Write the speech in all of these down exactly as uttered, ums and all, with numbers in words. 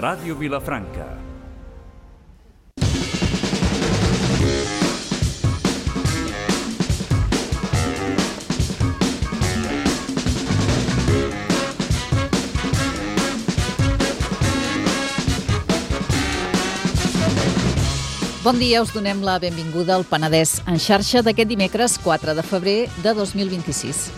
Ràdio Vilafranca. Bon dia, us donem la benvinguda al Penedès en xarxa d'aquest dimecres quatre de febrer de dos mil vint-i-sis.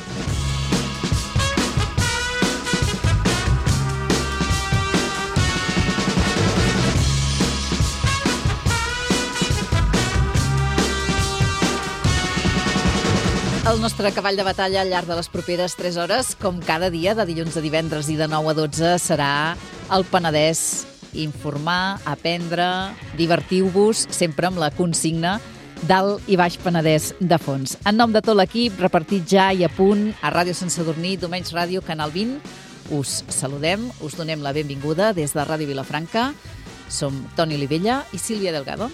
El nostre cavall de batalla al llarg de les properes tres hores, com cada dia, de dilluns a divendres i de nou a dotze, serà el Penedès. Informar, aprendre, divertiu-vos, sempre amb la consigna d'Alt i Baix Penedès de fons. En nom de tot l'equip, repartit ja i a punt a Ràdio Sant Sadurní, Domenys Ràdio, Canal vint, us saludem, us donem la benvinguda des de Ràdio Vilafranca. Som Toni Olivella i Sílvia Delgado.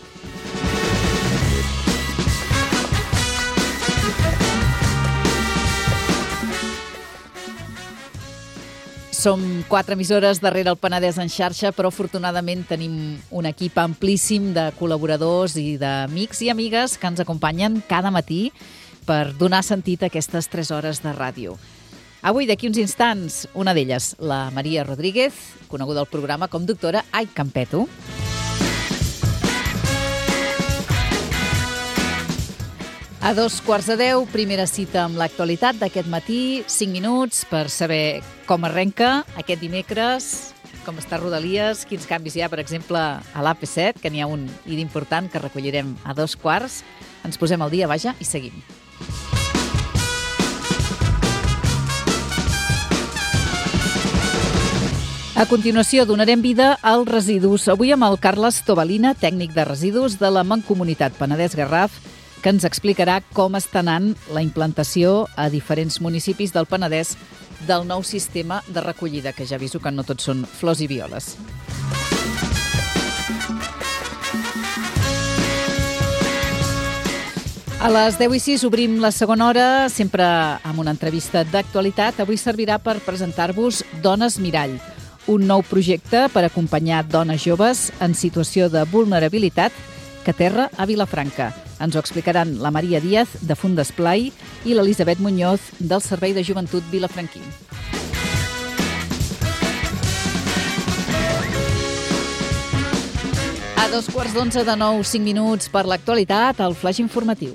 Som quatre emissores darrere el Penedès en xarxa, però afortunadament tenim un equip amplíssim de col·laboradors i d'amics i amigues que ens acompanyen cada matí per donar sentit a aquestes tres hores de ràdio. Avui, d'aquí uns instants, una d'elles, la Maria Rodríguez, coneguda al programa com doctora Ai Campeto. A dos quarts de deu, primera cita amb l'actualitat d'aquest matí, cinc minuts per saber com arrenca aquest dimecres, com està Rodalies, quins canvis hi ha, per exemple, a l'A P set, que n'hi ha un i d'important que recollirem a dos quarts. Ens posem al dia, vaja, i seguim. A continuació, donarem vida als residus. Avui amb el Carles Tobalina, tècnic de residus de la Mancomunitat Penedès-Garraf, que ens explicarà com està anant la implantació a diferents municipis del Penedès del nou sistema de recollida, que ja aviso que no tots són flors i violes. A les deu i sis obrim la segona hora, sempre amb una entrevista d'actualitat. Avui servirà per presentar-vos Dones Mirall, un nou projecte per acompanyar dones joves en situació de vulnerabilitat que aterra a Vilafranca. Ens ho explicaran la Maria Díaz, de Fundesplai, i l'Elisabet Muñoz, del Servei de Joventut Vilafranquí. A dos quarts d'onze de nou, cinc minuts per l'actualitat, el flaix informatiu.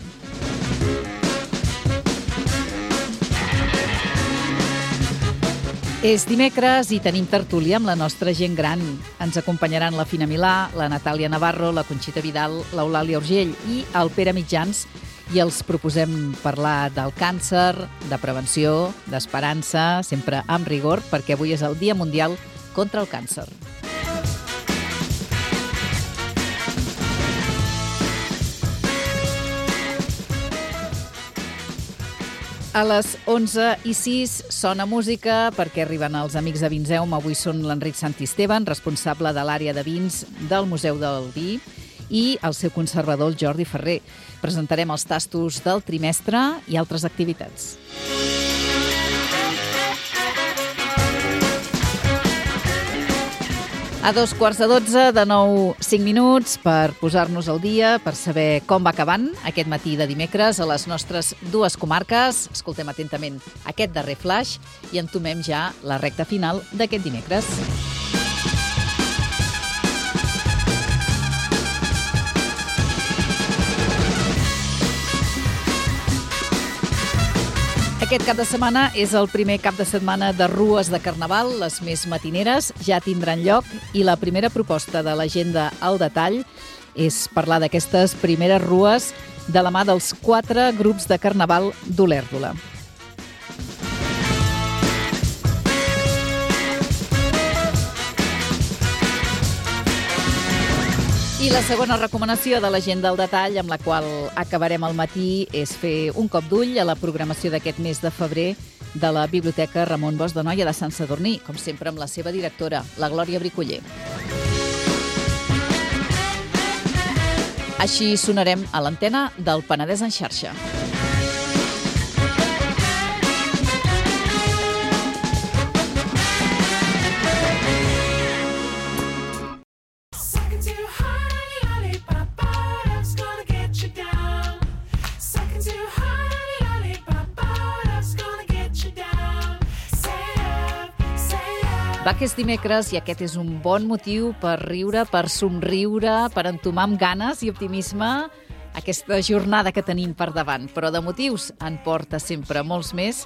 És dimecres i tenim tertúlia amb la nostra gent gran. Ens acompanyaran la Fina Milà, la Natàlia Navarro, la Conxita Vidal, l'Eulàlia Urgell i el Pere Mitjans, i els proposem parlar del càncer, de prevenció, d'esperança, sempre amb rigor, perquè avui és el Dia Mundial contra el Càncer. A les onze i sis sona música perquè arriben els amics de Vinseum. Avui són l'Enric Santisteban, responsable de l'àrea de vins del Museu del Vi, i el seu conservador, el Jordi Ferrer. Presentarem els tastos del trimestre i altres activitats. A dos quarts de dotze, de nou, cinc minuts per posar-nos al dia, per saber com va acabant aquest matí de dimecres a les nostres dues comarques. Escoltem atentament aquest darrer flaix i entomem ja la recta final d'aquest dimecres. Aquest cap de setmana és el primer cap de setmana de rues de Carnaval. Les més matineres ja tindran lloc i la primera proposta de l'agenda al detall és parlar d'aquestes primeres rues de la mà dels quatre grups de Carnaval d'Olèrdola. I la segona recomanació de l'agenda al detall, amb la qual acabarem el matí, és fer un cop d'ull a la programació d'aquest mes de febrer de la Biblioteca Ramon Bosch de Noia de Sant Sadurní, com sempre amb la seva directora, la Glòria Bricoller. Així sonarem a l'antena del Penedès en xarxa. Va que és dimecres i aquest és un bon motiu per riure, per somriure, per entomar amb ganes i optimisme aquesta jornada que tenim per davant. Però de motius en porta sempre molts més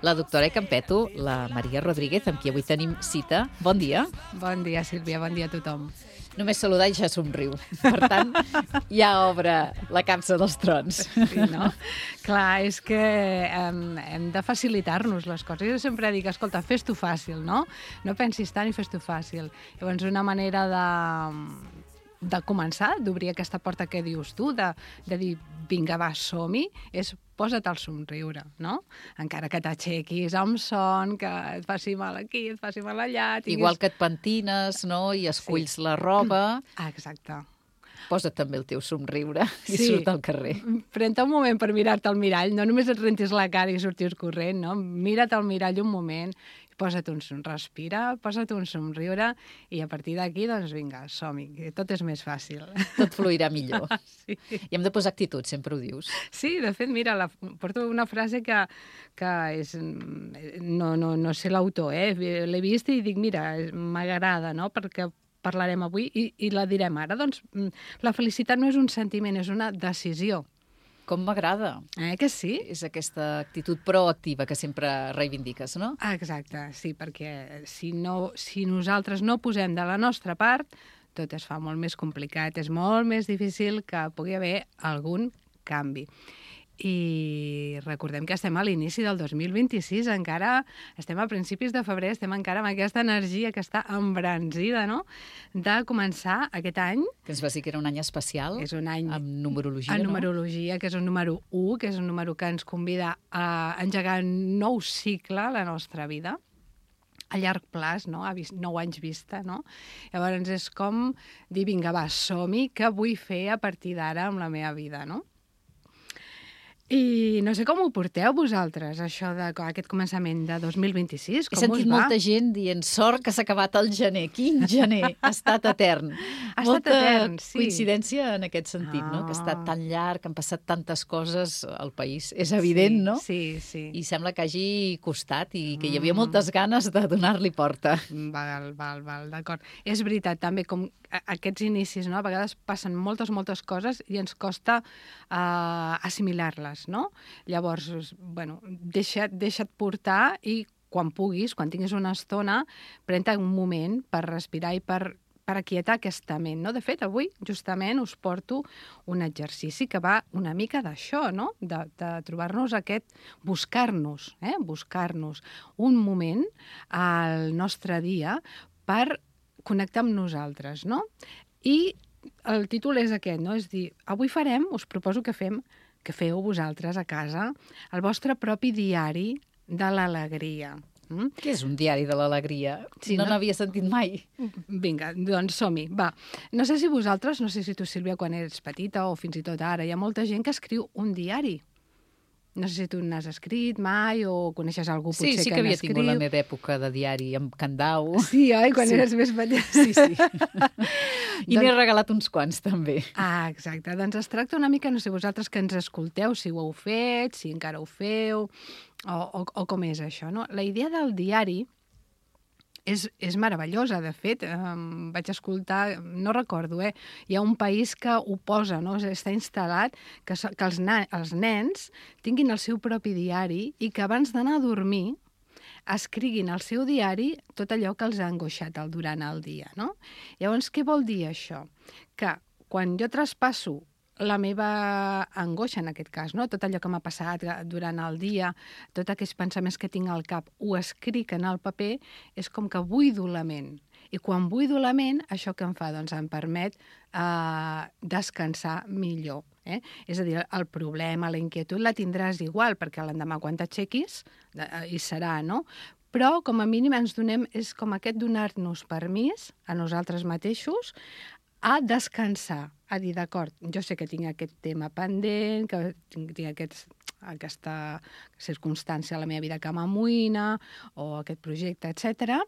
la doctora Campeto, la Maria Rodríguez, amb qui avui tenim cita. Bon dia. Bon dia, Sílvia, bon dia a tothom. Només saludar i ja somriu. Per tant, ja obre la capsa dels trons. Sí, no? Clar, és que hem, hem de facilitar-nos les coses. Jo sempre dic, escolta, fes-t'ho fàcil, no? No pensis tant i fes-t'ho fàcil. Llavors, una manera de, de començar, d'obrir aquesta porta que dius tu, de, de dir, vinga, va, som-hi, és posa't al somriure, no? Encara que t'aixequis amb son, que et faci mal aquí, et faci mal allà... Tinguis... Igual que et pentines, no?, i esculls sí. la roba... Ah, exacte. Posa't també el teu somriure i sí. surt al carrer. Pren-te un moment per mirar-te al mirall, no només et rentis la cara i sortis corrent, no? Mira't al mirall un moment, posa't un som, respira, posa't un somriure i a partir d'aquí, doncs vinga, som-hi, que tot és més fàcil. Tot fluirà millor. Sí. I hem de posar actitud, sempre ho dius. Sí, de fet, mira, la, porto una frase que, que és... No, no, no sé l'autor, eh? L'he vist i dic, mira, m'agrada, no?, perquè parlarem avui i, i la direm ara. Doncs la felicitat no és un sentiment, és una decisió. Com m'agrada. Eh, que sí? És aquesta actitud proactiva que sempre reivindiques, no? Ah, exacte, sí, perquè si, no, si nosaltres no posem de la nostra part, tot es fa molt més complicat, és molt més difícil que pugui haver algun canvi. I recordem que estem a l'inici del dos mil vint-i-sis, encara estem a principis de febrer, estem encara amb aquesta energia que està embranzida, no?, de començar aquest any. Que ens va dir que era un any especial. És un any amb numerologia, en no? numerologia, que és un número u, que és un número que ens convida a engegar un nou cicle a la nostra vida, a llarg plaç, no?, a nou anys vista, no? Llavors és com dir, vinga, va, som-hi, què vull fer a partir d'ara amb la meva vida, no? I no sé com ho porteu vosaltres, això d'aquest començament de dos mil vint-i-sis, com us va? He sentit molta gent dient, sort que s'ha acabat el gener. Quin gener? Ha estat etern. Ha molta estat etern, sí. coincidència en aquest sentit, Ah. no?, que ha estat tan llarg, han passat tantes coses al país. És evident, sí, no? Sí, sí. I sembla que hagi costat i que hi havia moltes ganes de donar-li porta. Val, val, val, d'acord. És veritat, també, com aquests inicis, no?, a vegades passen moltes, moltes coses i ens costa uh, assimilar-les, no? Llavors, bueno, deixa't, deixa't portar i quan puguis, quan tinguis una estona, pren-te un moment per respirar i per, per aquietar aquesta ment, no? De fet, avui, justament, us porto un exercici que va una mica d'això, no?, de, de trobar-nos aquest, buscar-nos, eh?, buscar-nos un moment al nostre dia per connectar amb nosaltres, no? I el títol és aquest, no? És dir, avui farem, us proposo que fem, que feu vosaltres a casa, el vostre propi diari de l'alegria. Mm? Què és un diari de l'alegria? Sí, no no? n'havia sentit mai. Vinga, doncs som-hi, va. No sé si vosaltres, no sé si tu, Sílvia, quan eres petita o fins i tot ara, hi ha molta gent que escriu un diari. No sé si tu n'has escrit mai o coneixes algú potser sí, sí que, que havia n'escriu. tingut la meva època de diari amb Candau. Sí, oi? Quan Sí. eres més petita. Sí, sí. I Doncs- n'he regalat uns quants, també. Ah, exacte. Doncs es tracta una mica, no sé, vosaltres que ens escolteu, si ho heu fet, si encara ho feu, o, o, o com és això, no? La idea del diari és, és meravellosa, de fet. Um, vaig escoltar, no recordo, eh? Hi ha un país que ho posa, no? Està instal·lat que, so- que els, na els nens tinguin el seu propi diari i que abans d'anar a dormir escriguin al seu diari tot allò que els ha angoixat el, durant el dia, no? Llavors, què vol dir això? Que quan jo traspasso la meva angoixa, en aquest cas, no? Tot allò que m'ha passat durant el dia, tots aquells pensaments que tinc al cap, ho escric en el paper, és com que buido la ment. I quan buido la ment, això que em fa? Doncs em permet eh, descansar millor. Eh? És a dir, el problema, la inquietud la tindràs igual, perquè l'endemà quan t'aixequis eh, hi serà, no? Però, com a mínim, ens donem, és com aquest donar-nos permís a nosaltres mateixos a descansar, a dir, d'acord, jo sé que tinc aquest tema pendent, que tinc, tinc aquests, aquesta circumstància a la meva vida que m'amoïna, o aquest projecte, etcètera,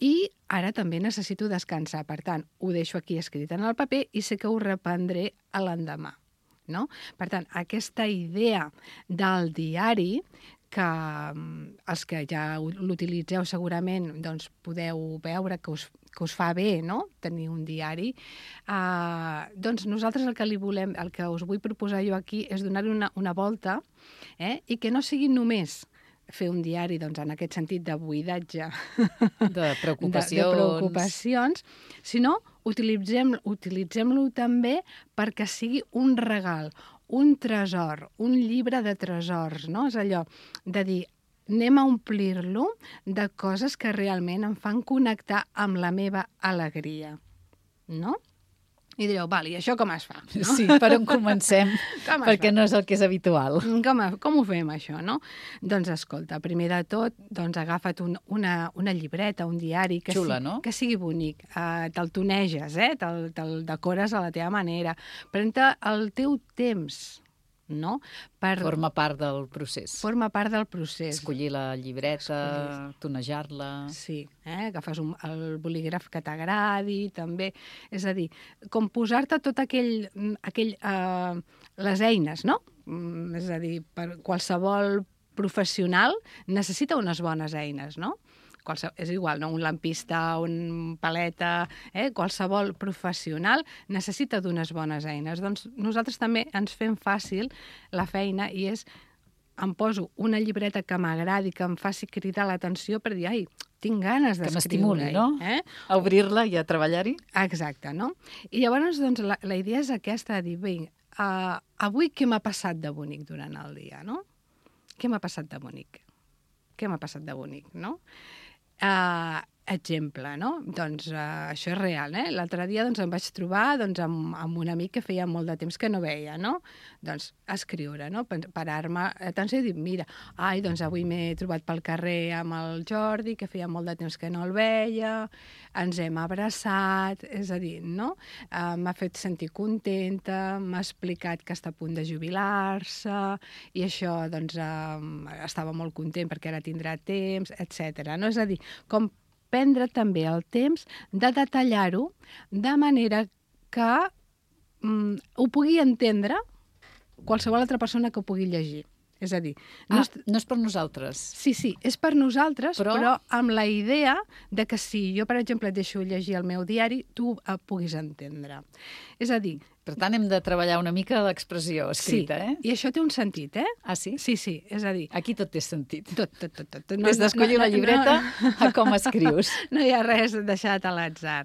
i ara també necessito descansar. Per tant, ho deixo aquí escrit en el paper i sé que ho reprendré a l'endemà. No? Per tant, aquesta idea del diari que els que ja l'utilitzeu segurament doncs podeu veure que us, que us fa bé, no?, tenir un diari. Uh, doncs nosaltres el que li volem, el que us vull proposar jo aquí és donar-hi una, una volta, eh? I que no sigui només fer un diari, doncs, en aquest sentit de buidatge de preocupacions, de, de preocupacions, sinó utilitzem, utilitzem-lo també perquè sigui un regal, un tresor, un llibre de tresors, no? És allò de dir, anem a omplir-lo de coses que realment em fan connectar amb la meva alegria, no? I direu, val, i això com es fa? No? Sí, per on comencem? Perquè fa? No és el que és habitual. Com, com ho fem, això, no? Doncs, escolta, primer de tot, doncs agafa't un, una, una llibreta, un diari que, Xula, si, no? que sigui bonic. Uh, te'l toneges, eh? Te'l, te'l decores a la teva manera. Pren-te el teu temps, no? Per... Forma part del procés. Forma part del procés. Escollir la llibreta, Escollir. Tonejar-la... Sí, eh? Agafes un, el bolígraf que t'agradi, també. És a dir, com posar-te tot aquell... aquell uh, les eines, no? Mm, és a dir, per qualsevol professional necessita unes bones eines, no? Qualsevol, és igual, no? Un lampista, un paleta, eh? Qualsevol professional necessita d'unes bones eines. Doncs nosaltres també ens fem fàcil la feina i és, em poso una llibreta que m'agradi, que em faci cridar l'atenció per dir, ai, tinc ganes d'escriure. Que m'estimuli, no? Eh? A obrir-la i a treballar-hi. Exacte, no? I llavors, doncs, la, la idea és aquesta, de dir, bé, uh, avui què m'ha passat de bonic durant el dia, no? Què m'ha passat de bonic? Què m'ha passat de bonic, no? Uh, exemple, no? Doncs uh, això és real, eh? L'altre dia doncs, em vaig trobar doncs, amb, amb un amic que feia molt de temps que no veia, no? Doncs escriure, no? Parar-me atenció i dir, mira, ai, doncs avui m'he trobat pel carrer amb el Jordi, que feia molt de temps que no el veia, ens hem abraçat, és a dir, no? Uh, m'ha fet sentir contenta, m'ha explicat que està a punt de jubilar-se i això, doncs, uh, estava molt content perquè ara tindrà temps, etcètera. No? És a dir, com prendre també el temps de detallar-ho de manera que mm, ho pugui entendre qualsevol altra persona que ho pugui llegir. És a dir... No, No ah, és... no és per nosaltres. Sí, sí, és per nosaltres, però... però amb la idea de que si jo, per exemple, et deixo llegir el meu diari, tu el puguis entendre. És a dir... Per tant, hem de treballar una mica l'expressió escrita, sí, eh? I això té un sentit, eh? Ah, sí? Sí, sí, és a dir... Aquí tot té sentit. Tot, tot, tot. tot. No, Des d'escollir no, no, la llibreta no, a com escrius. No hi ha res deixat a l'atzar.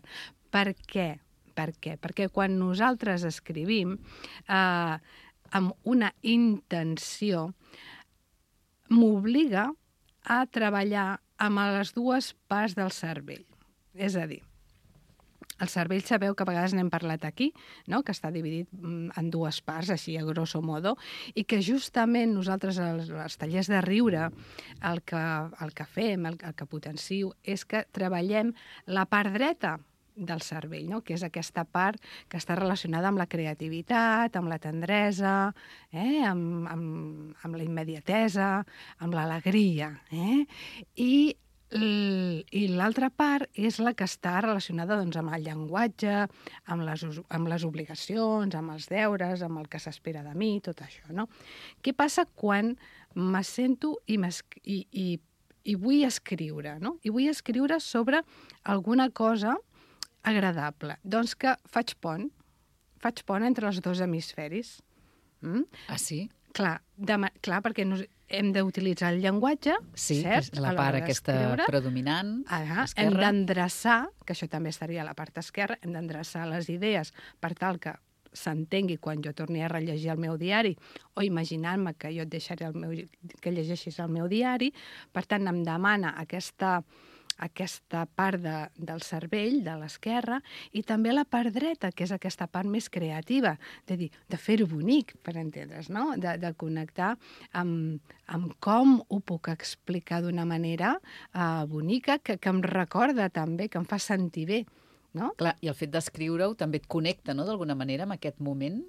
Per què? Per què? Perquè quan nosaltres escrivim eh, amb una intenció, m'obliga a treballar amb les dues parts del cervell. És a dir, el cervell sabeu que a vegades n'hem parlat aquí, no? Que està dividit en dues parts, així a grosso modo, i que justament nosaltres als, als tallers de riure el que, el que fem, el, el que potencio, és que treballem la part dreta del cervell, no? Que és aquesta part que està relacionada amb la creativitat, amb la tendresa, eh? amb, amb, amb la immediatesa, amb l'alegria. Eh? I I l'altra part és la que està relacionada doncs, amb el llenguatge, amb les, amb les obligacions, amb els deures, amb el que s'espera de mi, tot això, no? Què passa quan me sento i, i, i, i vull escriure, no? I vull escriure sobre alguna cosa agradable. Doncs que faig pont, faig pont entre els dos hemisferis. Mm? Ah, sí? Clar, de, clar perquè nos, hem d'utilitzar el llenguatge, sí, cert? la part aquesta predominant, ah, hem d'endreçar, que això també estaria a la part esquerra, hem d'endreçar les idees per tal que s'entengui quan jo torni a rellegir el meu diari o imaginant-me que jo et deixaré el meu, que llegeixis el meu diari. Per tant, em demana aquesta... aquesta part de, del cervell, de l'esquerra, i també la part dreta, que és aquesta part més creativa, de dir, de fer-ho bonic, per entendre's, no? De, de connectar amb, amb com ho puc explicar d'una manera uh, bonica, que, que em recorda també, que em fa sentir bé. No? Clar, i el fet d'escriure-ho també et connecta, no?, d'alguna manera, amb aquest moment.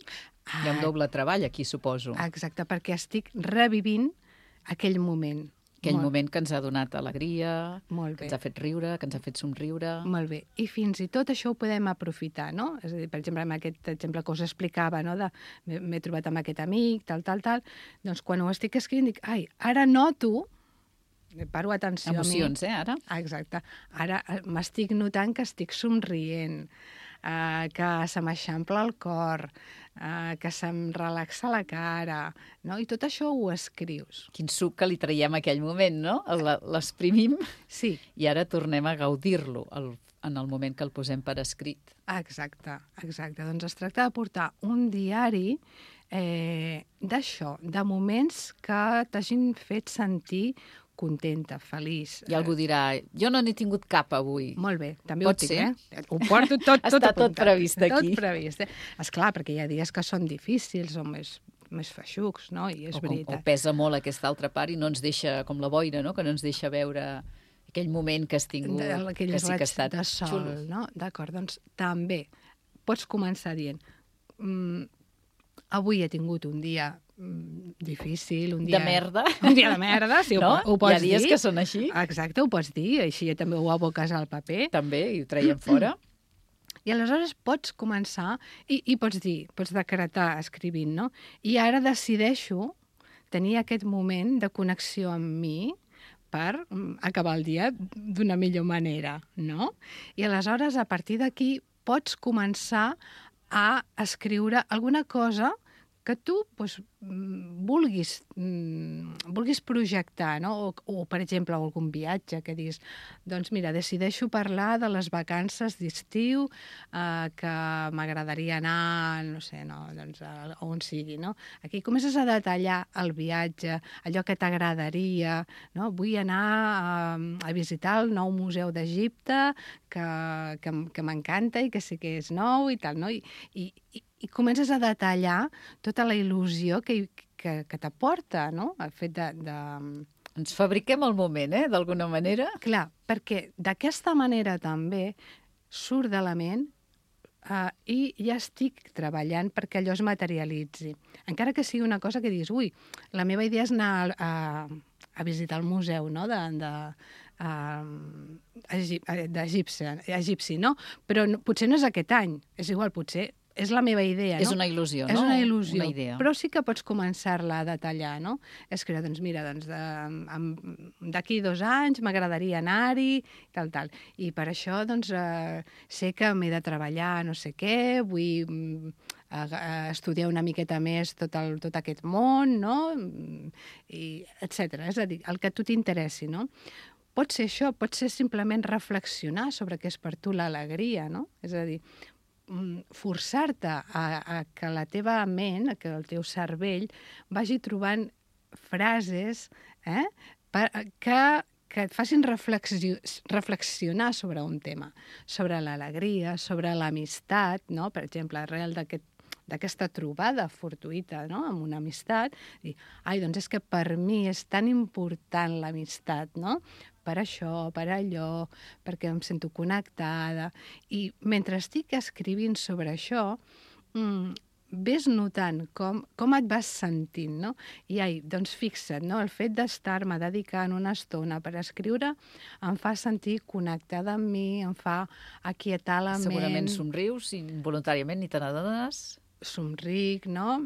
Ah, hi ha un doble treball aquí, suposo. Exacte, perquè estic revivint aquell moment. Aquell Molt. moment que ens ha donat alegria, Molt que bé. ens ha fet riure, que ens ha fet somriure. Molt bé. I fins i tot això ho podem aprofitar, no? És a dir, per exemple, amb aquest exemple que us explicava, no? De m'he m'he trobat amb aquest amic, tal, tal, tal, doncs quan ho estic escrivint dic, ai, ara noto, paro atenció Emocions, a mi. eh, ara? Ah, exacte. Ara eh, m'estic notant que estic somrient, eh, que se m'eixampla el cor, eh, que se'm relaxa la cara, no? I tot això ho escrius. Quin suc que li traiem a aquell moment, no? El- L'exprimim Sí, i ara tornem a gaudir-lo el- en el moment que el posem per escrit. exacte, exacte. Doncs es tracta de portar un diari eh, d'això, de moments que t'hagin fet sentir contenta, feliç. I algú dirà, jo no n'he tingut cap avui. Molt bé, també Pot ho tinc, ser? eh? Ho porto tot, tot Està tot apuntat. previst aquí. Tot previst, eh? Esclar, perquè hi ha dies que són difícils o més, més feixucs, no? I és O, com, o veritat. pesa molt aquesta altra part i no ens deixa, com la boira, no? Que no ens deixa veure aquell moment que has tingut, De- aquell que sí que ha raig estat de sol, xulo. no? D'acord, doncs també pots començar dient mm, avui he tingut un dia mm, difícil, un dia... De merda. Un dia de merda, sí, No? ho, ho pots Hi ha dies dir. que són així. Exacte, ho pots dir, així també ho aboques al paper. També, i ho traiem fora. I aleshores pots començar, i, i pots dir, pots decretar escrivint, no? I ara decideixo tenir aquest moment de connexió amb mi per mm, acabar el dia d'una millor manera, no? I aleshores, a partir d'aquí, pots començar a escriure alguna cosa que tu doncs, mm, vulguis, mm, vulguis projectar, no? O, o, per exemple, algun viatge que diguis, doncs mira, decideixo parlar de les vacances d'estiu eh, que m'agradaria anar, no sé, no, doncs, a, a on sigui, no? Aquí comences a detallar el viatge, allò que t'agradaria, no? Vull anar a, a visitar el nou museu d'Egipte, que, que, que m'encanta i que sí que és nou i tal, no? I, i, i i comences a detallar tota la il·lusió que, que, que t'aporta, no? El fet de, de... Ens fabriquem el moment, eh? D'alguna manera. Clar, perquè d'aquesta manera també surt de la ment uh, i ja estic treballant perquè allò es materialitzi. Encara que sigui una cosa que diguis, ui, la meva idea és anar a, a, a visitar el museu, no?, de... de uh, d'egipci, egipci, no? Però no, potser no és aquest any, és igual, potser és la meva idea, no? És una il·lusió, no? És una il·lusió, Una idea. però sí que pots començar-la a detallar, no? Escriure, doncs mira, doncs d'aquí dos anys m'agradaria anar-hi, tal, tal. I per això, doncs, eh, sé que m'he de treballar no sé què, vull mm, eh, estudiar una miqueta més tot, el, tot aquest món, no? I, etcètera. És a dir, el que a tu t'interessi, no? Pot ser això, pot ser simplement reflexionar sobre què és per tu l'alegria, no? És a dir, forçar-te a, a que la teva ment, a que el teu cervell vagi trobant frases eh, per, que, que et facin reflexio, reflexionar sobre un tema, sobre l'alegria, sobre l'amistat, no? Per exemple, arrel d'aquest d'aquesta trobada fortuïta, no?, amb una amistat, dir, ai, doncs és que per mi és tan important l'amistat, no?, per això, per allò, perquè em sento connectada. I mentre estic escrivint sobre això, mmm, ves notant com, com et vas sentint, no? I ai, doncs fixa't, no? El fet d'estar-me dedicant una estona per escriure em fa sentir connectada amb mi, em fa aquietar la ment. Segurament somrius, involuntàriament, ni te n'adones. Somric, no?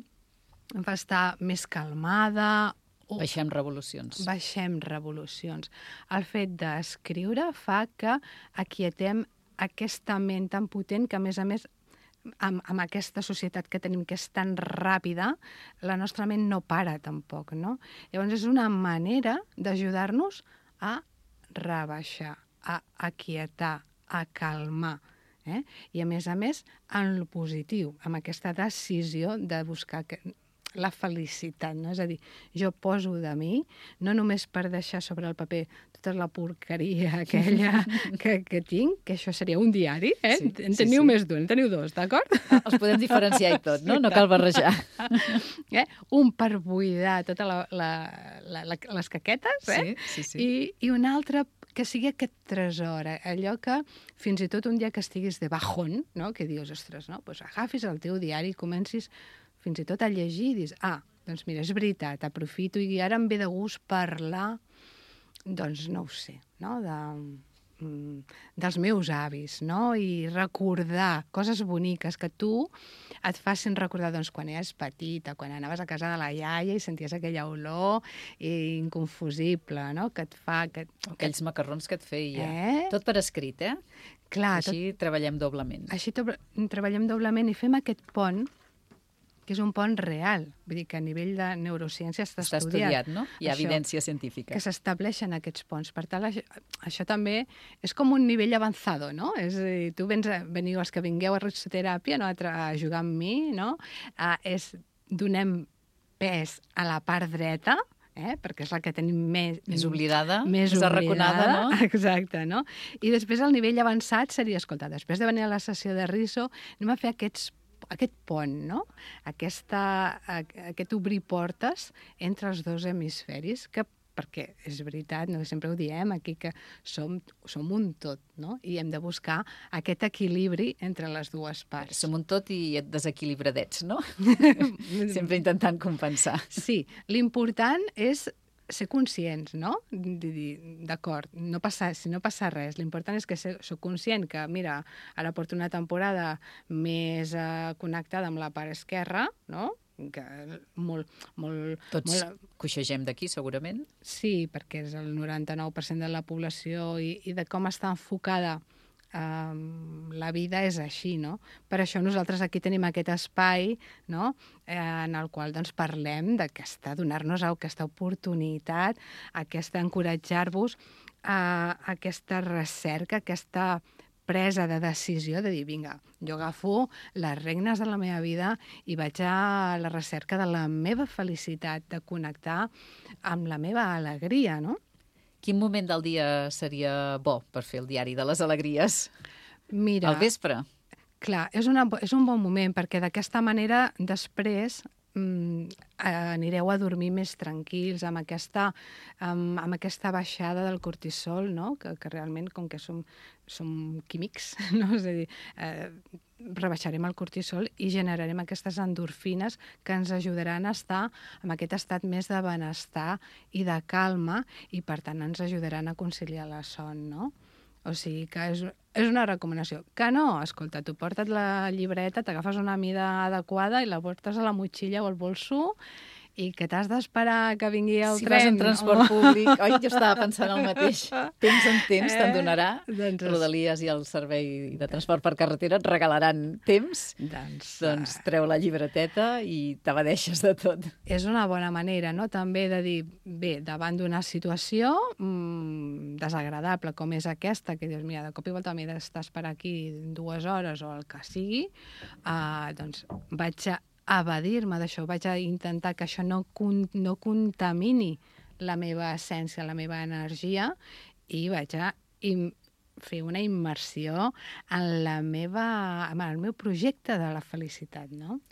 Em fa estar més calmada. O Baixem revolucions. Baixem revolucions. El fet d'escriure fa que aquietem aquesta ment tan potent que, a més a més, amb, amb aquesta societat que tenim, que és tan ràpida, la nostra ment no para tampoc, no? Llavors és una manera d'ajudar-nos a rebaixar, a aquietar, a calmar. Eh? I, a més a més, en el positiu, amb aquesta decisió de buscar que, la felicitat, no? És a dir, jo poso de mi, no només per deixar sobre el paper tota la porqueria aquella que, que tinc, que això seria un diari, eh? Sí, en sí, teniu sí. més d'un, en teniu dos, d'acord? Els podem diferenciar i tot, no? No cal barrejar. Eh? Un per buidar totes la, la, la, la, les caquetes, eh? Sí, sí, sí. I, i un altre que sigui aquest tresor, eh? Allò que fins i tot un dia que estiguis de bajón, no? Que dius, ostres, no? Pues agafis el teu diari i comencis fins i tot a llegir i dius, ah, doncs mira, és veritat, aprofito i ara em ve de gust parlar doncs no ho sé, no? De, dels meus avis, no? I recordar coses boniques que tu et facin recordar doncs, quan eres petita, quan anaves a casa de la iaia i senties aquella olor inconfusible, no? Que et fa... Que, Aquells que... macarrons que et feia. Eh? Tot per escrit, eh? Clar, així tot... treballem doblement. Així to... treballem doblement i fem aquest pont, que és un pont real. Vull dir que a nivell de neurociència està, està estudiat. estudiat, no? Hi ha això, evidència científica. Que s'estableixen aquests ponts. Per tant, això, això també és com un nivell avançado, no? És a dir, tu vens a, veniu, els que vingueu a risoteràpia, no? a, a jugar amb mi, no? Uh, és, donem pes a la part dreta, eh? perquè és la que tenim més... Més oblidada, més, més oblidada, arraconada, no? Exacte, no? I després el nivell avançat seria, escolta, després de venir a la sessió de riso, anem a fer aquests aquest pont, no? Aquesta, aquest obrir portes entre els dos hemisferis, que perquè és veritat, no? Sempre ho diem aquí, que som, som un tot, no? I hem de buscar aquest equilibri entre les dues parts. Som un tot i et desequilibradets, no? Sempre intentant compensar. Sí, l'important és ser conscients, no? D'acord, no passa, si no passa res, l'important és que soc conscient que, mira, ara porto una temporada més eh, connectada amb la part esquerra, no? Que molt, molt... Tots molt... coixegem d'aquí, segurament. Sí, perquè és el noranta-nou per cent de la població i, i de com està enfocada Um, la vida és així, no? Per això nosaltres aquí tenim aquest espai, no? Eh, en el qual doncs, parlem d'aquesta, donar-nos aquesta oportunitat, aquesta encoratjar-vos a aquesta recerca, aquesta presa de decisió de dir, vinga, jo agafo les regnes de la meva vida i vaig a la recerca de la meva felicitat, de connectar amb la meva alegria, no? Quin moment del dia seria bo per fer el diari de les alegries? Mira, al vespre? Clar, és, una, és un bon moment, perquè d'aquesta manera després mm, anireu a dormir més tranquils, amb aquesta, amb, amb aquesta baixada del cortisol, no? que, que realment, com que som, som químics, no? És a dir, eh, rebaixarem el cortisol i generarem aquestes endorfines que ens ajudaran a estar en aquest estat més de benestar i de calma i, per tant, ens ajudaran a conciliar la son, no? O sigui que és, és una recomanació. Que no, escolta, tu porta't la llibreta, t'agafes una mida adequada i la portes a la motxilla o al bolso i que t'has d'esperar que vingui el si tren. Si vas en transport oh. públic... Oi, jo estava pensant el mateix. Temps en temps eh? te'n donarà. Doncs Rodalies i el servei de transport per carretera et regalaran temps. Doncs, doncs treu la llibreteta i t'evadeixes de tot. És una bona manera, no?, també de dir, bé, davant d'una situació mmm, desagradable com és aquesta, que dius, mira, de cop i volta m'he d'estar esperar aquí dues hores o el que sigui, eh, doncs vaig a evadir-me d'això, vaig a intentar que això no, con no contamini la meva essència, la meva energia, i vaig a fer una immersió en, la meva, en el meu projecte de la felicitat, no?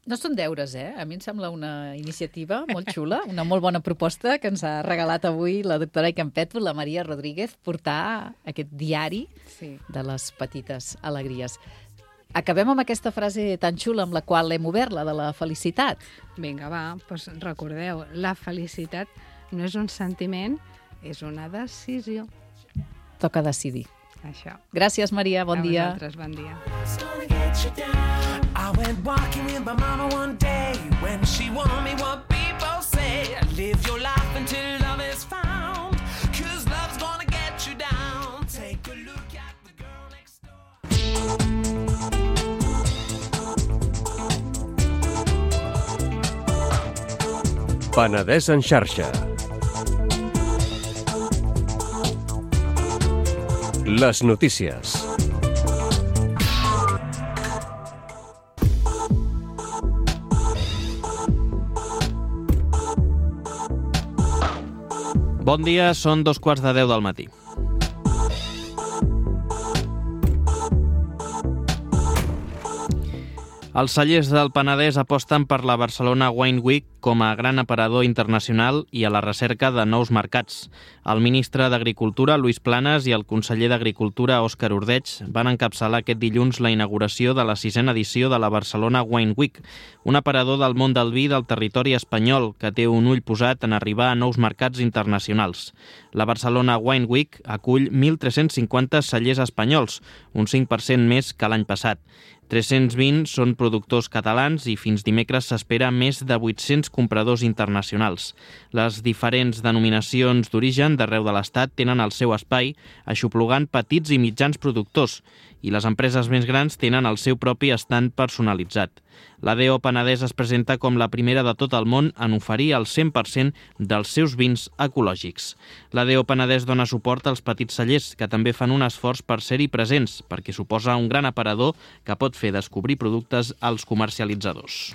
No són deures, eh? A mi em sembla una iniciativa molt xula, una molt bona proposta que ens ha regalat avui la doctora Icampetto, la Maria Rodríguez, portar aquest diari sí. de les petites alegries. Acabem amb aquesta frase tan xula amb la qual hem obert, la de la felicitat. Vinga, va, doncs recordeu, la felicitat no és un sentiment, és una decisió. Toca decidir. Això. Gràcies, Maria, bon A dia. A vosaltres, bon dia. I went walking with my mama one day when she warned me what people say. Live your life until love is found, 'cause love's gonna get you down. Take a look at the girl next door. Penedès en xarxa. Les notícies. Bon dia, són dos quarts de deu del matí. Els cellers del Penedès aposten per la Barcelona Wine Week com a gran aparador internacional i a la recerca de nous mercats. El ministre d'Agricultura, Lluís Planas, i el conseller d'Agricultura, Òscar Ordeig, van encapçalar aquest dilluns la inauguració de la sisena edició de la Barcelona Wine Week, un aparador del món del vi del territori espanyol que té un ull posat en arribar a nous mercats internacionals. La Barcelona Wine Week acull mil tres-cents cinquanta cellers espanyols, un cinc per cent més que l'any passat. tres-cents vint són productors catalans i fins dimecres s'espera més de vuit-cents compradors internacionals. Les diferents denominacions d'origen d'arreu de l'Estat tenen el seu espai, aixoplugant petits i mitjans productors, i les empreses més grans tenen el seu propi estand personalitzat. L'A D O Penedès es presenta com la primera de tot el món en oferir el cent per cent dels seus vins ecològics. L'A D O Penedès dona suport als petits cellers, que també fan un esforç per ser-hi presents, perquè suposa un gran aparador que pot fer descobrir productes als comercialitzadors.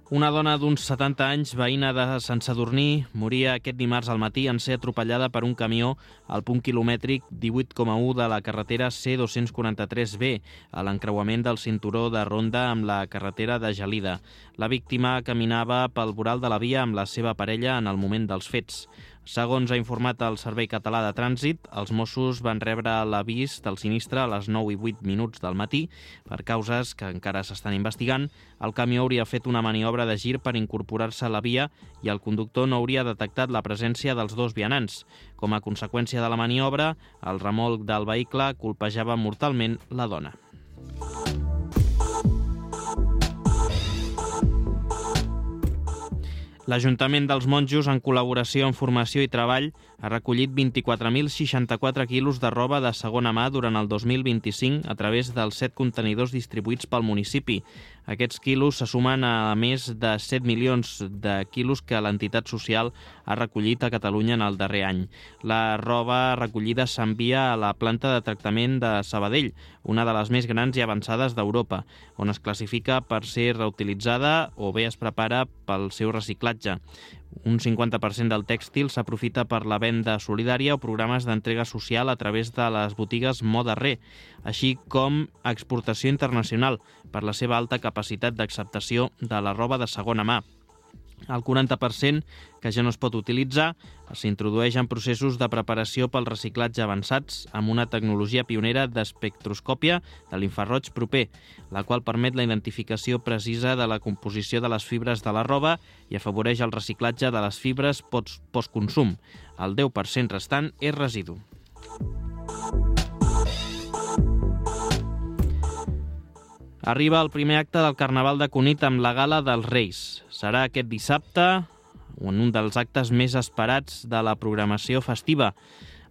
Una dona d'uns setanta anys, veïna de Sant Sadurní, moria aquest dimarts al matí en ser atropellada per un camió al punt quilomètric divuit coma u de la carretera C dos-cents quaranta-tres B, a l'encreuament del cinturó de Ronda amb la carretera de Gelida. La víctima caminava pel voral de la via amb la seva parella en el moment dels fets. Segons ha informat el Servei Català de Trànsit, els Mossos van rebre l'avís del sinistre a les nou i vuit minuts del matí. Per causes que encara s'estan investigant, el camió hauria fet una maniobra de gir per incorporar-se a la via i el conductor no hauria detectat la presència dels dos vianants. Com a conseqüència de la maniobra, el remolc del vehicle colpejava mortalment la dona. L'Ajuntament dels Monjos, en col·laboració amb Formació i Treball, ha recollit vint-i-quatre mil seixanta-quatre quilos de roba de segona mà durant el dos mil vint-i-cinc a través dels set contenidors distribuïts pel municipi. Aquests quilos se sumen a més de set milions de quilos que l'entitat social ha recollit a Catalunya en el darrer any. La roba recollida s'envia a la planta de tractament de Sabadell, una de les més grans i avançades d'Europa, on es classifica per ser reutilitzada o bé es prepara pel seu reciclatge. Un cinquanta per cent del tèxtil s'aprofita per la venda solidària o programes d'entrega social a través de les botigues Moda Re, així com exportació internacional per la seva alta capacitat d'acceptació de la roba de segona mà. El quaranta per cent que ja no es pot utilitzar s'introdueix en processos de preparació pel reciclatge avançats amb una tecnologia pionera d'espectroscòpia de l'infraroig proper, la qual permet la identificació precisa de la composició de les fibres de la roba i afavoreix el reciclatge de les fibres postconsum. El deu per cent restant és residu. Arriba el primer acte del Carnaval de Cunit amb la Gala dels Reis. Serà aquest dissabte, en un dels actes més esperats de la programació festiva.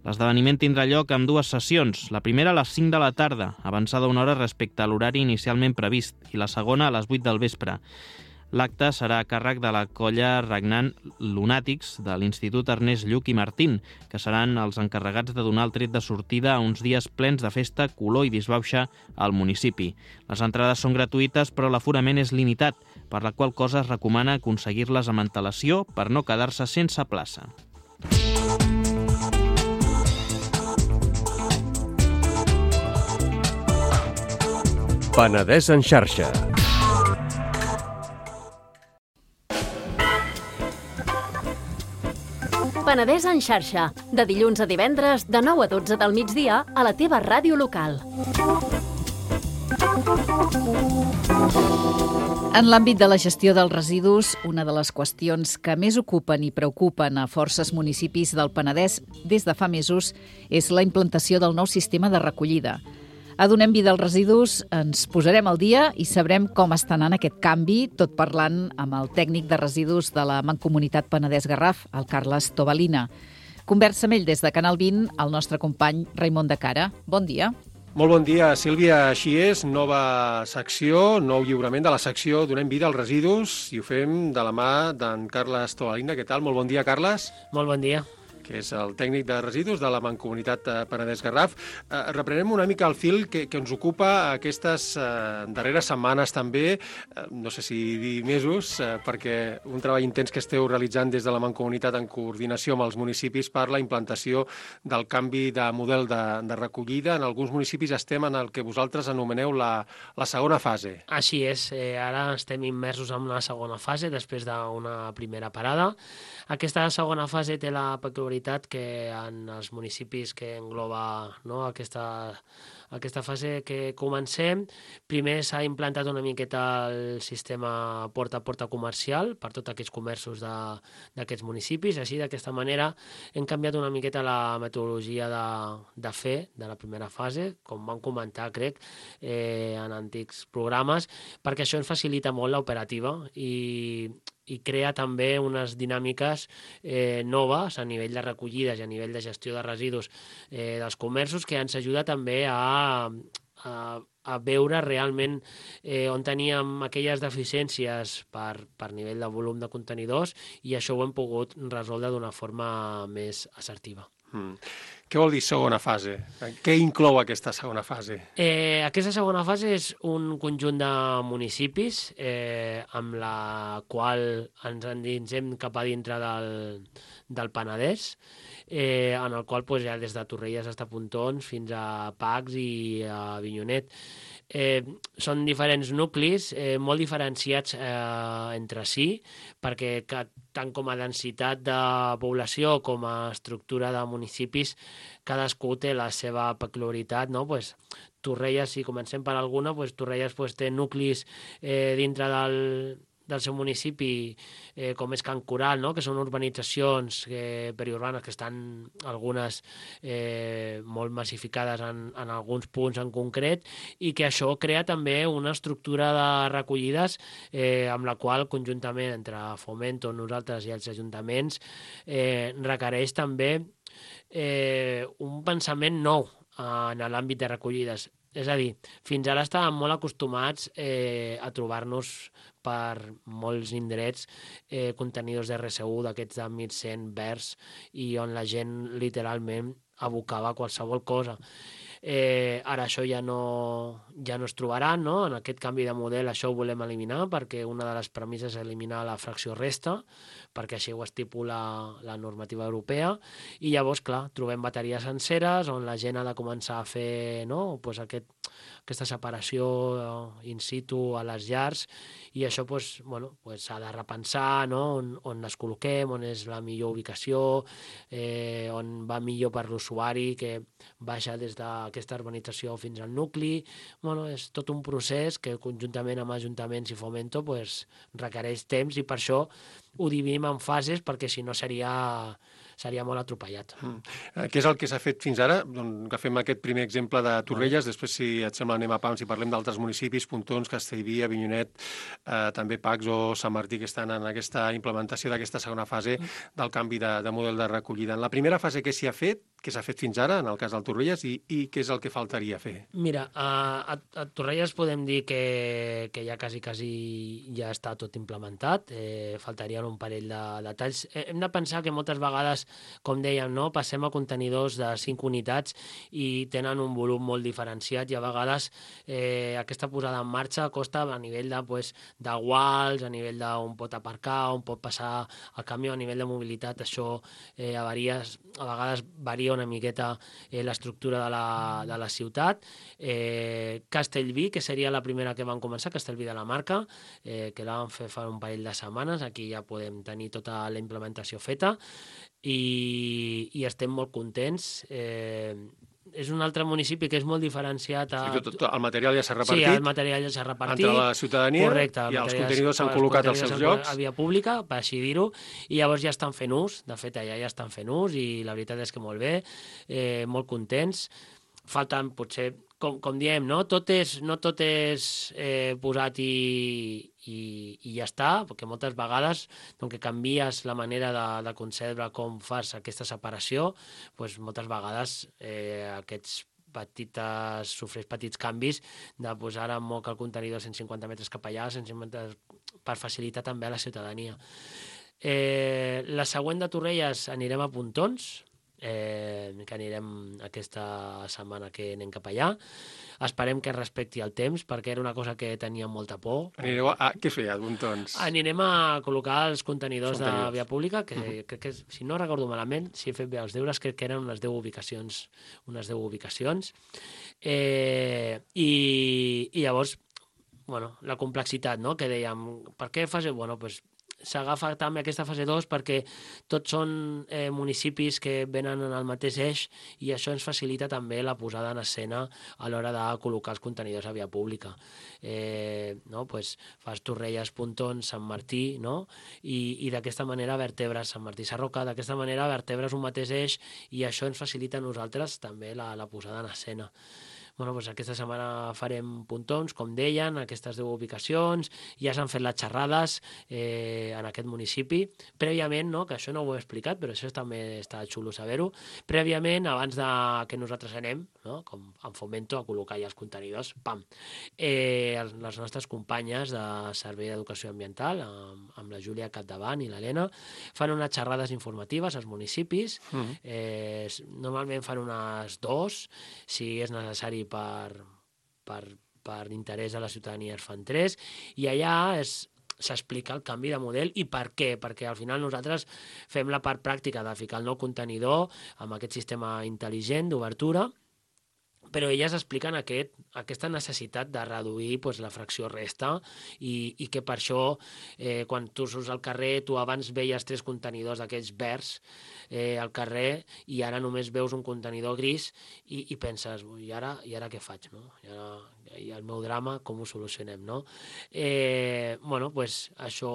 L'esdeveniment tindrà lloc amb dues sessions, la primera a les cinc de la tarda, avançada una hora respecte a l'horari inicialment previst, i la segona a les vuit del vespre. L'acte serà a càrrec de la colla regnant Lunàtics de l'Institut Ernest Lluch i Martín, que seran els encarregats de donar el tret de sortida a uns dies plens de festa, color i disbauxa al municipi. Les entrades són gratuïtes, però l'aforament és limitat, per la qual cosa es recomana aconseguir-les amb antelació per no quedar-se sense plaça. Penedès en xarxa. Penedès en xarxa, de dilluns a divendres, de nou a dotze del migdia, a la teva ràdio local. En l'àmbit de la gestió dels residus, una de les qüestions que més ocupen i preocupen a forces municipis del Penedès des de fa mesos és la implantació del nou sistema de recollida. A Donem Vida als Residus ens posarem al dia i sabrem com està anant aquest canvi, tot parlant amb el tècnic de residus de la Mancomunitat Penedès-Garraf, el Carles Tobalina. Conversa amb ell des de Canal vint, el nostre company Raimon de Cara. Bon dia. Molt bon dia, Sílvia. Així és, nova secció, nou lliurament de la secció Donem Vida als Residus i ho fem de la mà d'en Carles Tobalina. Què tal? Molt bon dia, Carles. Molt bon dia. que és el tècnic de residus de la Mancomunitat Penedès-Garraf. Eh, reprenem una mica el fil que, que ens ocupa aquestes eh, darreres setmanes també, eh, no sé si dir mesos, eh, perquè un treball intens que esteu realitzant des de la Mancomunitat en coordinació amb els municipis per la implantació del canvi de model de, de recollida. En alguns municipis estem en el que vosaltres anomeneu la, la segona fase. Així és, eh, ara estem immersos en una segona fase després d'una primera parada. Aquesta segona fase té la peculiaritat que en els municipis que engloba, no, aquesta, aquesta fase que comencem, primer s'ha implantat una miqueta el sistema porta a porta comercial per tots aquests comerços d'aquests municipis. Així, d'aquesta manera, hem canviat una miqueta la metodologia de, de fer de la primera fase, com vam comentar, crec, eh, en antics programes, perquè això ens facilita molt l'operativa i i crea també unes dinàmiques eh, noves a nivell de recollides i a nivell de gestió de residus eh, dels comerços, que ens ajuda també a, a, a veure realment eh, on teníem aquelles deficiències per, per nivell de volum de contenidors, i això ho hem pogut resoldre d'una forma més assertiva. Mm. Què vol dir segona fase? Què inclou aquesta segona fase? Eh, aquesta segona fase és un conjunt de municipis eh, amb la qual ens endinsem cap a dintre del, del Penedès, eh, en el qual pues, hi ha des de Torrelles fins a Pontons fins a Pacs i a Avinyonet. Eh, són diferents nuclis eh, molt diferenciats eh, entre si, perquè que, tant com a densitat de població com a estructura de municipis, cadascú té la seva peculiaritat, no? Pues, Torrelles, si comencem per alguna, pues, Torrelles pues, té nuclis eh, dintre del, del seu municipi, eh, com és Can Coral, no? Que són urbanitzacions eh, periurbanes que estan algunes eh, molt massificades en, en alguns punts en concret, i que això crea també una estructura de recollides eh, amb la qual conjuntament entre Fomento, nosaltres i els ajuntaments eh, requereix també eh, un pensament nou en l'àmbit de recollides. És a dir, fins ara estàvem molt acostumats eh, a trobar-nos per molts indrets eh, contenidors de erre ce u d'aquests de mil cent verds, i on la gent literalment abocava qualsevol cosa. Eh, ara això ja no, ja no es trobarà, no? En aquest canvi de model això ho volem eliminar, perquè una de les premisses és eliminar la fracció resta, perquè així ho estipula la normativa europea, i llavors, clar, trobem bateries senceres on la gent ha de començar a fer, no? Pues aquest, aquesta separació in situ a les llars, i això pues, bueno, pues s'ha de repensar, no? on, on les col·loquem, on és la millor ubicació, eh, on va millor per l'usuari, que baixa des d'aquesta urbanització fins al nucli. Bueno, és tot un procés que conjuntament amb ajuntaments i Fomento pues, requereix temps, i per això ho dividim en fases, perquè si no seria, seria molt atropellat. Mm. Què és el que s'ha fet fins ara? Doncs agafem aquest primer exemple de Torrelles, després, si et sembla, anem a Pams i parlem d'altres municipis, Pontons, Castellví, Avinyonet, eh, també Pacs o Sant Martí, que estan en aquesta implementació d'aquesta segona fase del canvi de, de model de recollida. En la primera fase, què s'hi ha fet? Què s'ha fet fins ara, en el cas del Torrelles, i, i què és el que faltaria fer? Mira, a, a, a Torrelles podem dir que, que ja quasi, quasi ja està tot implementat, eh, faltarien un parell de detalls. Eh, hem de pensar que moltes vegades, com dèiem, no, passem a contenidors de cinc unitats i tenen un volum molt diferenciat, i a vegades eh, aquesta posada en marxa costa a nivell de, pues, de guals, a nivell d'on pot aparcar, on pot passar el camió, a nivell de mobilitat, això eh, a, varies, a vegades varia una miqueta eh, l'estructura de, la, de la ciutat. Eh, Castellví, que seria la primera que van començar, Castellví de la Marca, eh, que la vam fer fa un parell de setmanes, aquí ja podem tenir tota la implementació feta, i, i estem molt contents. Eh, és un altre municipi que és molt diferenciat. A... Sí, tot, tot, el material ja s'ha repartit. Sí, el material ja s'ha repartit. Entre la ciutadania. Correcte, i els contenidors s'han col·locat als seus llocs. A via pública, per així dir-ho, i llavors ja estan fent ús. De fet, allà ja estan fent ús, i la veritat és que molt bé, eh, molt contents. Falten, potser, com, com diem, no tot és, no tot és eh, posat i, i, i ja està, perquè moltes vegades, doncs, que canvies la manera de, de concebre com fas aquesta separació, doncs, moltes vegades eh, aquests petites, sofreix petits canvis de posar en moc el contenidor cent cinquanta metres cap allà, cent cinquanta, per facilitar també a la ciutadania. Eh, la següent de Torrelles anirem a Pontons, eh, que anirem aquesta setmana que anem cap allà. Esperem que respecti el temps, perquè era una cosa que tenia molta por. Anireu a... Què feia, Pontons? Anirem a col·locar els contenidors, Contenidors. de via pública, que, uh -huh. crec que, si no recordo malament, si he fet bé els deures, crec que eren unes deu ubicacions. Unes deu ubicacions. Eh, i, I llavors, bueno, la complexitat, no?, que dèiem, per què fase... Bueno, doncs, s'agafa també aquesta fase dos perquè tots són eh, municipis que venen en el mateix eix i això ens facilita també la posada en escena a l'hora de col·locar els contenidors a via pública. Eh, no? Pues fas Torrelles, Pontons, Sant Martí, no? I, i d'aquesta manera vertebres Sant Martí Sarroca, d'aquesta manera vertebres un mateix eix i això ens facilita a nosaltres també la, la posada en escena. Bueno, doncs aquesta setmana farem Pontons, com deien, aquestes deu ubicacions, ja s'han fet les xerrades eh, en aquest municipi. Prèviament, no?, que això no ho he explicat, però això també està xulo saber-ho, prèviament, abans de que nosaltres anem, no?, com en Fomento, a col·locar ja els contenidors, pam, eh, les nostres companyes de Servei d'Educació Ambiental, amb, amb la Júlia capdavant i l'Helena, fan unes xerrades informatives als municipis, mm. eh, normalment fan unes dos, si és necessari per, per, per interès de la ciutadania es fan tres, i allà és s'explica el canvi de model i per què, perquè al final nosaltres fem la part pràctica de ficar el nou contenidor amb aquest sistema intel·ligent d'obertura, però elles expliquen aquest, aquesta necessitat de reduir pues, la fracció resta i, i que per això, eh, quan tu surts al carrer, tu abans veies tres contenidors d'aquells verds eh, al carrer i ara només veus un contenidor gris i, i penses, i ara, i ara què faig? No? I, ara, i el meu drama, com ho solucionem? No? Eh, bueno, pues, això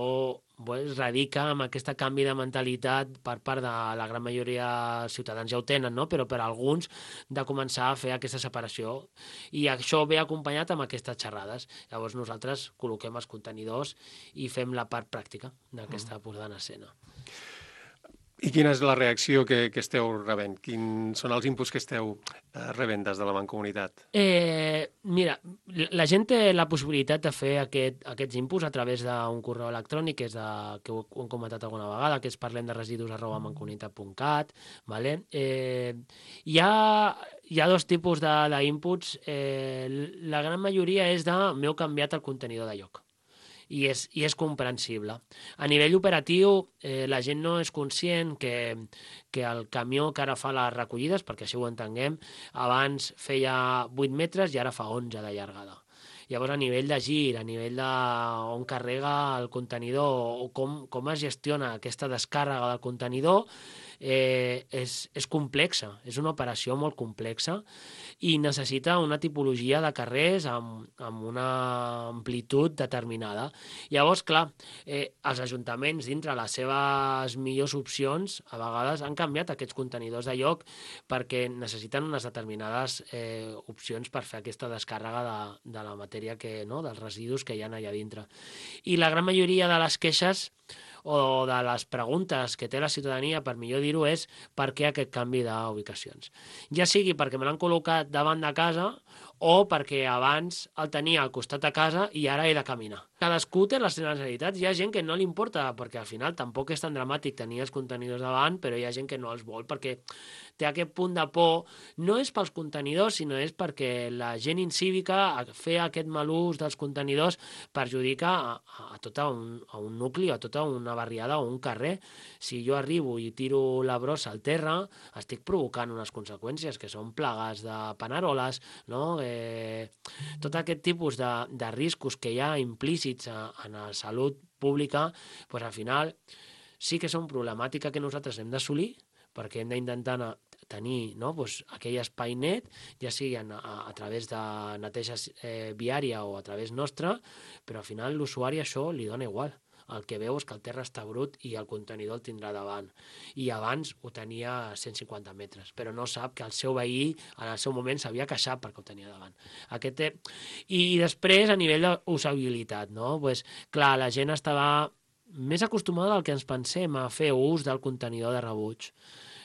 pues, radica amb aquest canvi de mentalitat per part de la gran majoria dels ciutadans, ja ho tenen, no? Però per alguns de començar a fer aquesta separació i això ve acompanyat amb aquestes xerrades. Llavors nosaltres col·loquem els contenidors i fem la part pràctica d'aquesta mm. posada en escena. I quina és la reacció que, que esteu rebent? Quins són els inputs que esteu eh, rebent des de la Mancomunitat? Eh, mira, la gent té la possibilitat de fer aquest, aquests inputs a través d'un correu electrònic, que és de, que ho, ho hem comentat alguna vegada, que és parlem de residus arroba mancomunitat punt cat. Vale? Eh, hi, ha, hi ha dos tipus d'inputs. Eh, la gran majoria és de m'heu canviat el contenidor de lloc. I és, i és comprensible. A nivell operatiu, eh, la gent no és conscient que, que el camió que ara fa les recollides, perquè així ho entenguem, abans feia vuit metres i ara fa onze de llargada. Llavors, a nivell de gir, a nivell de on carrega el contenidor o com, com es gestiona aquesta descàrrega del contenidor, eh, és, és complexa, és una operació molt complexa i necessita una tipologia de carrers amb, amb una amplitud determinada. Llavors, clar, eh, els ajuntaments, dintre les seves millors opcions, a vegades han canviat aquests contenidors de lloc perquè necessiten unes determinades eh, opcions per fer aquesta descàrrega de, de la matèria, que, no?, dels residus que hi ha allà dintre. I la gran majoria de les queixes o de les preguntes que té la ciutadania, per millor dir-ho, és per què aquest canvi d'ubicacions. Ja sigui perquè me l'han col·locat davant de casa o perquè abans el tenia al costat de casa i ara he de caminar. Cadascú té les seves necessitats. Hi ha gent que no li importa, perquè al final tampoc és tan dramàtic tenir els contenidors davant, però hi ha gent que no els vol perquè té aquest punt de por. No és pels contenidors, sinó és perquè la gent incívica, a fer aquest mal ús dels contenidors, perjudica a, a, tot un, a un nucli, a tota una barriada o un carrer. Si jo arribo i tiro la brossa al terra, estic provocant unes conseqüències que són plagues de paneroles, no? Eh, tot aquest tipus de, de riscos que hi ha implícits a, en la salut pública, doncs al final sí que són problemàtica que nosaltres hem d'assolir, perquè hem d'intentar tenir, no?, doncs aquell espai net, ja sigui a, a, a través de neteja eh, viària o a través nostra, però al final l'usuari això li dona igual. El que veu és que el terra està brut i el contenidor el tindrà davant. I abans ho tenia a cent cinquanta metres, però no sap que el seu veí en el seu moment s'havia queixat perquè ho tenia davant. Aquest té... I després, a nivell d'usabilitat, no? Pues, clar, la gent estava més acostumada del que ens pensem a fer ús del contenidor de rebuig.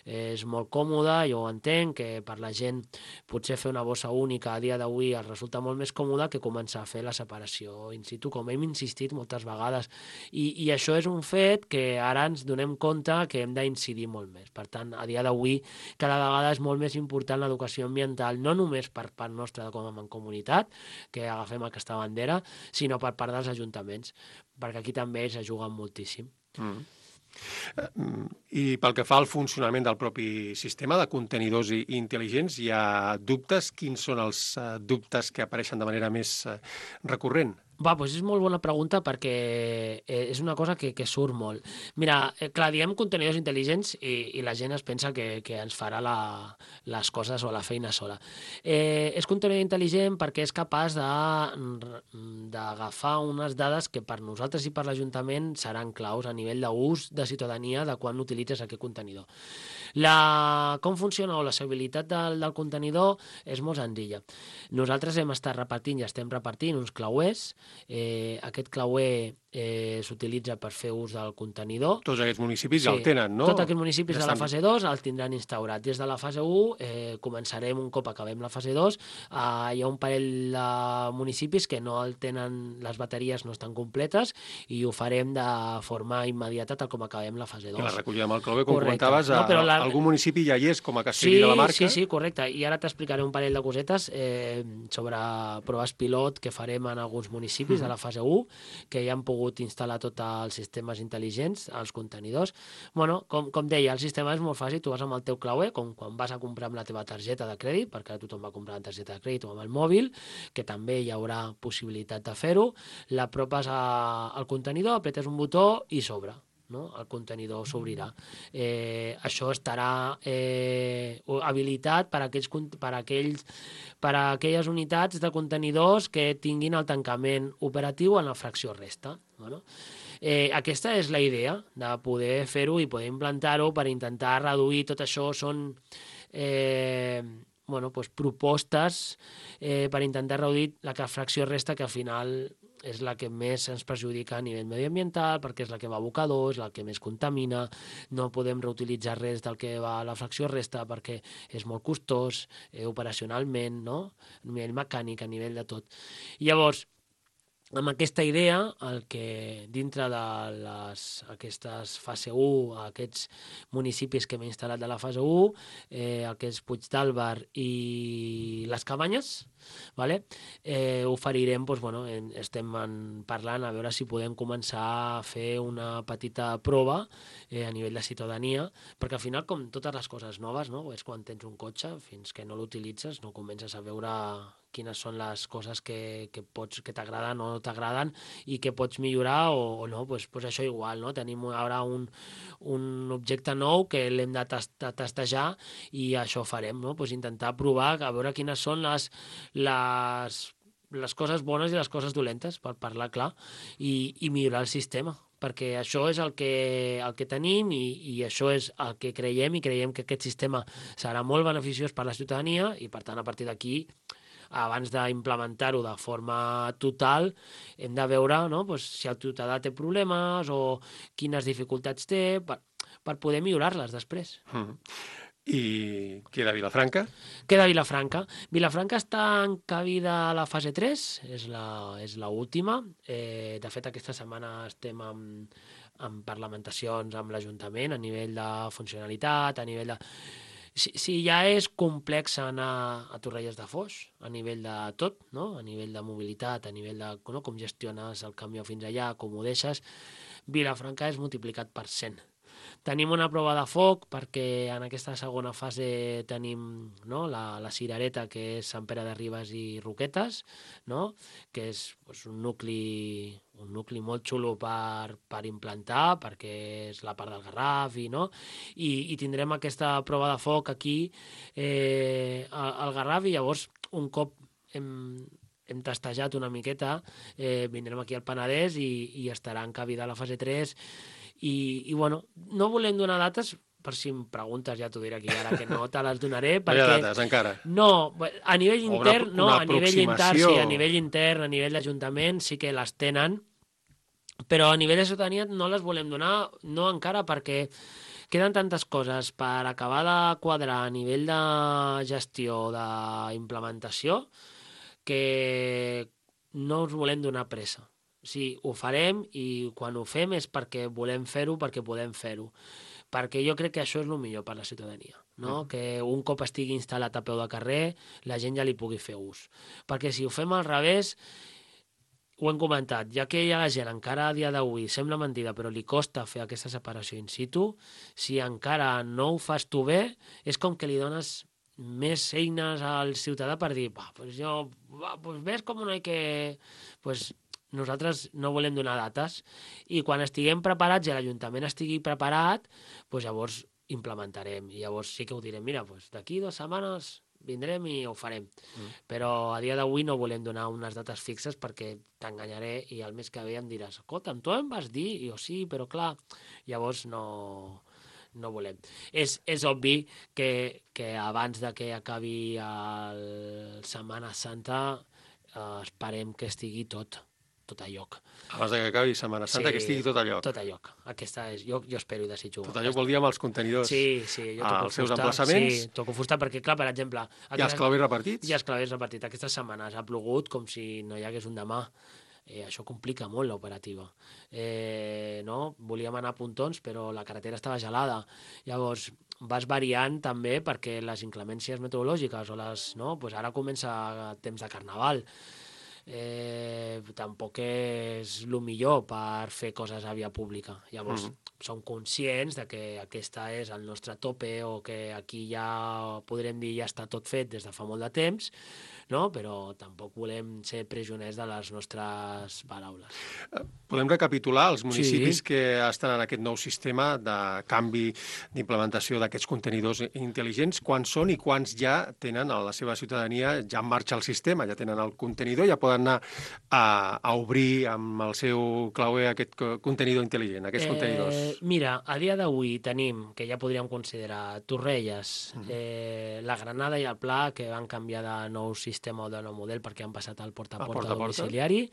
és molt còmode, jo ho entenc, que per la gent potser fer una bossa única a dia d'avui els resulta molt més còmode que començar a fer la separació in situ, com hem insistit moltes vegades. I, i això és un fet que ara ens donem compte que hem d'incidir molt més. Per tant, a dia d'avui cada vegada és molt més important l'educació ambiental, no només per part nostra com a mancomunitat, que agafem aquesta bandera, sinó per part dels ajuntaments, perquè aquí també se juguen moltíssim. Mm. I pel que fa al funcionament del propi sistema de contenidors intel·ligents, hi ha dubtes? Quins són els dubtes que apareixen de manera més recurrent? Va, doncs és molt bona pregunta perquè és una cosa que, que surt molt. Mira, clar, diem contenidors intel·ligents i, i la gent es pensa que, que ens farà la, les coses o la feina sola. Eh, és contenidor intel·ligent perquè és capaç d'agafar unes dades que per nosaltres i per l'Ajuntament seran claus a nivell d'ús de ciutadania de quan utilitzes aquest contenidor. La, com funciona o la usabilitat del, del contenidor és molt senzilla. Nosaltres hem estat repartint i estem repartint uns clauers. Eh, aquest clauer eh, s'utilitza per fer ús del contenidor. Tots aquests municipis sí, ja el tenen, no? Tots aquests municipis ja de la fase dos el tindran instaurat. Des de la fase u eh, començarem un cop acabem la fase dos. Eh, hi ha un parell de municipis que no el tenen, les bateries no estan completes i ho farem de forma immediata tal com acabem la fase dos. I la recollida amb el clauer, com correcte. comentaves, a, no, la... algun municipi ja hi és com a Castellví sí, de la Marca. Sí, sí, correcte. I ara t'explicaré un parell de cosetes eh, sobre proves pilot que farem en alguns municipis de la fase u, que ja han pogut instal·lar tots els sistemes intel·ligents, els contenidors. Bueno, com, com deia, el sistema és molt fàcil, tu vas amb el teu clauer, com quan vas a comprar amb la teva targeta de crèdit, perquè ara tothom va comprar amb targeta de crèdit o amb el mòbil, que també hi haurà possibilitat de fer-ho, l'apropes al contenidor, apretes un botó i s'obre. No? El contenidor s'obrirà. Eh, això estarà eh, habilitat per a, aquells, per, a aquells, per a aquelles unitats de contenidors que tinguin el tancament operatiu en la fracció resta. Bueno, eh, aquesta és la idea de poder fer-ho i poder implantar-ho per intentar reduir tot això. Són eh, bueno, doncs propostes eh, per intentar reduir la fracció resta, que al final és la que més ens perjudica a nivell mediambiental, perquè és la que va a abocador, és la que més contamina, no podem reutilitzar res del que va a la fracció resta perquè és molt costós eh, operacionalment, no? A nivell mecànic, a nivell de tot. Llavors, amb aquesta idea, el que dintre de les, aquestes fase u, aquests municipis que hem instal·lat de la fase u, eh, el que és Puigdàlber i les Cabanyes, vale? eh, oferirem, doncs, bueno, estem en, parlant a veure si podem començar a fer una petita prova eh, a nivell de ciutadania, perquè al final, com totes les coses noves, no? És quan tens un cotxe, fins que no l'utilitzes, no comences a veure quines són les coses que, que, pots, que t'agraden o no t'agraden i que pots millorar o, o no, doncs, doncs això igual, no? Tenim ara un, un objecte nou que l'hem de, tast, de testejar i això farem, no? Doncs intentar provar, a veure quines són les, les, les coses bones i les coses dolentes, per parlar clar, i, i millorar el sistema, perquè això és el que, el que tenim i, i això és el que creiem i creiem que aquest sistema serà molt beneficiós per a la ciutadania i, per tant, a partir d'aquí, abans d'implementar-ho de forma total, hem de veure, no? Pues, si el ciutadà té problemes o quines dificultats té per, per poder millorar-les després. Mm. I queda Vilafranca? Queda Vilafranca. Vilafranca està encabida a la fase tres, és la, és l'última. Eh, de fet, aquesta setmana estem amb, amb parlamentacions amb l'Ajuntament a nivell de funcionalitat, a nivell de... Si, si ja és complex anar a Torrelles de Foix, a nivell de tot, no? A nivell de mobilitat, a nivell de no? Com gestiones el camió fins allà, com ho deixes, Vilafranca és multiplicat per cent. Tenim una prova de foc perquè en aquesta segona fase tenim, no? la, la cirereta, que és Sant Pere de Ribes i Roquetes, no? Que és doncs, un nucli un nucli molt xulo per, per implantar, perquè és la part del Garraf, i, no? I, i tindrem aquesta prova de foc aquí eh, al, al Garraf, i llavors un cop hem, hem testejat una miqueta, eh, vindrem aquí al Penedès i, i estarà encabida a la fase tres. I, i bueno, no volem donar dates, per si em preguntes ja t'ho diré aquí ara, que no te les donaré. Perquè... No hi ha dates encara? No, a nivell intern, una, no, una a nivell intern, sí, a nivell intern, a nivell d'Ajuntament sí que les tenen, però a nivell de ciutadania no les volem donar, no encara, perquè queden tantes coses per acabar de quadrar a nivell de gestió, d'implementació, que no us volem donar pressa. O sigui, ho farem i quan ho fem és perquè volem fer-ho, perquè podem fer-ho. Perquè jo crec que això és el millor per la ciutadania, no? Mm. Que un cop estigui instal·lat a peu de carrer, la gent ja li pugui fer ús. Perquè si ho fem al revés, ho hem comentat, ja que hi ha la gent encara a dia d'avui, sembla mentida, però li costa fer aquesta separació in situ, si encara no ho fas tu bé, és com que li dones més eines al ciutadà per dir, va, pues jo, va, pues ves com no hay que... Pues nosaltres no volem donar dates i quan estiguem preparats i l'Ajuntament estigui preparat, doncs llavors implementarem i llavors sí que ho direm, mira, doncs d'aquí dues setmanes vindrem i ho farem. Mm. Però a dia d'avui no volem donar unes dates fixes perquè t'enganyaré i el mes que ve em diràs, escolta'm, tu em vas dir? I jo sí, però clar, llavors no... no volem. És, és obvi que, que abans de que acabi el Setmana Santa eh, esperem que estigui tot, tot a lloc. Abans que acabi Setmana Santa, sí, que estigui tot a lloc. Tot a lloc. Aquesta és, jo, jo espero i desitjo. Tot a lloc vol dir amb els contenidors. Sí, sí. Jo toco als seus fusta, emplaçaments. Sí, toco fusta perquè, clar, per exemple... Hi ha els clavers repartits? Hi ha els clavers repartits. Aquestes setmanes ha plogut com si no hi hagués un demà. Eh, això complica molt l'operativa. Eh, no? Volíem anar a Pontons, però la carretera estava gelada. Llavors, vas variant també perquè les inclemències meteorològiques o les... No? Pues ara comença temps de carnaval. Eh, tampoc és el millor per fer coses a via pública. Llavors, mm-hmm. som conscients de que aquesta és el nostre tope o que aquí ja podrem dir ja està tot fet des de fa molt de temps, no? Però tampoc volem ser presoners de les nostres paraules. Podem recapitular els municipis Sí. que estan en aquest nou sistema de canvi d'implementació d'aquests contenidors intel·ligents, quants són i quants ja tenen a la seva ciutadania, ja en marxa el sistema, ja tenen el contenidor, ja poden anar a, a obrir amb el seu clauer aquest contenidor intel·ligent, aquests eh, contenidors. Mira, a dia d'avui tenim, que ja podríem considerar, Torrelles, mm. eh, la Granada i el Pla, que van canviar de nou sistema o de nou model perquè han passat al porta a porta, porta, -porta domiciliari.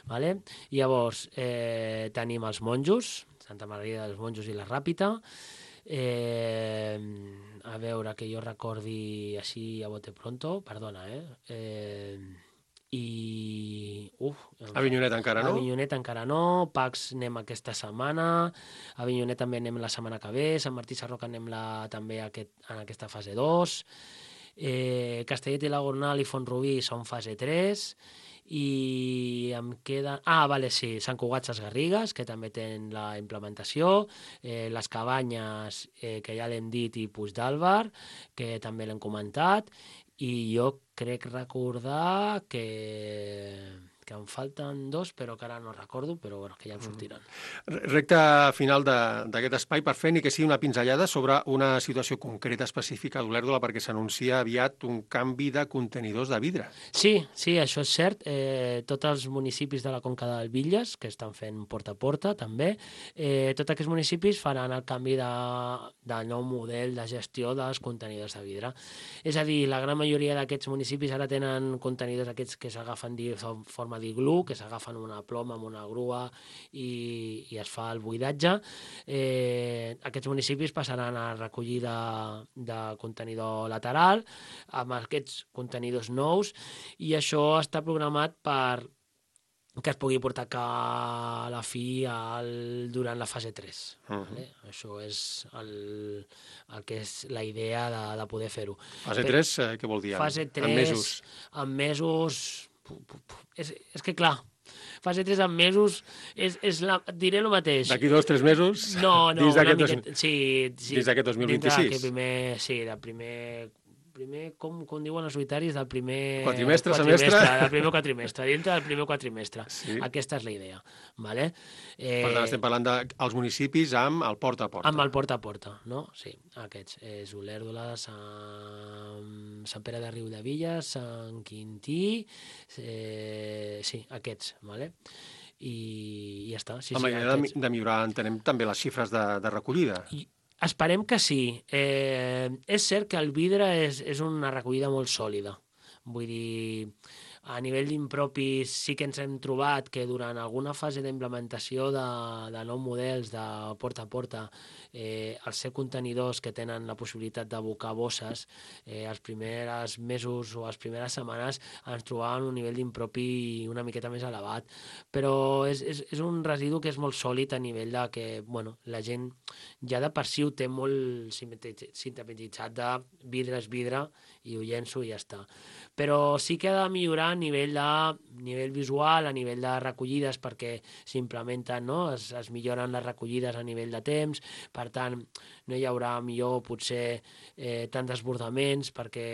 Vale? Llavors, eh, tenim els Monjos, Santa Maria dels Monjos i la Ràpita. Eh, a veure, que jo recordi així a bote pronto, perdona, eh? eh i... Uf, Avinyonet encara no? Avinyonet encara no, Pacs anem aquesta setmana, Avinyonet també anem la setmana que ve, Sant Martí Sarroca anem la, també aquest, en aquesta fase dos, eh, Castellet i la Gornal i Font-rubí són fase tres, i em queda... Ah, vale, sí, Sant Cugat Ses Garrigues, que també tenen la implementació, eh, les Cabanyes, eh, que ja l'hem dit, i Puigdàlber, que també l'hem comentat, i jo crec recordar que, que em falten dos, però que ara no recordo, però bueno, que ja em sortiran. Recta final d'aquest espai, per fer ni que sigui una pinzellada sobre una situació concreta específica d'Olèrdola, perquè s'anuncia aviat un canvi de contenidors de vidre. Sí, sí, això és cert. Eh, tots els municipis de la Conca del Villes, que estan fent porta a porta, també, eh, tots aquests municipis faran el canvi de, de nou model de gestió dels contenidors de vidre. És a dir, la gran majoria d'aquests municipis ara tenen contenidors aquests que s'agafen de forma d'iglú, que s'agafen una ploma amb una grua i, i es fa el buidatge. Eh, aquests municipis passaran a recollir de, de contenidor lateral amb aquests contenidors nous i això està programat per que es pugui portar a la fi al, durant la fase tres. Uh-huh. Vale? Això és el, el que és la idea de, de poder fer-ho. Fase tres, eh, què vol dir? Fase tres, en mesos? En mesos... És, és que clar, fase tres en mesos, és, és la, diré el mateix. D'aquí dos, tres mesos? No, no, dins una dos, miqueta, sí, sí. Dins d'aquest dos mil vint-i-sis? Primer, sí, del primer... primer com, com diuen els solitaris, del primer... Quatrimestre, quatrimestre semestre? Del primer quatrimestre, dintre del primer quatrimestre. Sí. Aquesta és la idea. Vale? Eh, per tant, estem parlant dels municipis amb el porta a porta. Amb el porta a porta, no? Sí, aquests. És Olèrdola, Sant, Sant Pere de Riudevilles, Sant Quintí... Eh, sí, aquests, vale? I, i ja està. Sí, amb sí, la idea de, de millorar, entenem, també les xifres de, de recollida. I, Esperem que sí. Eh, és cert que el vidre és, és una recollida molt sòlida. Vull dir, A nivell d'impropis sí que ens hem trobat que durant alguna fase d'implementació de, de nous models de porta a porta, eh, els ser contenidors que tenen la possibilitat d'abocar bosses, eh, els primers mesos o les primeres setmanes ens trobàvem un nivell d'impropi una miqueta més elevat. Però és, és, és un residu que és molt sòlid a nivell de que bueno, la gent ja de per si ho té molt sintetitzat de vidre és vidre i ho llenço i ja està. Però sí que ha de millorar a nivell, de, nivell visual, a nivell de recollides, perquè s'implementen, no? es, es milloren les recollides a nivell de temps, per tant, no hi haurà millor potser eh, tant desbordaments, perquè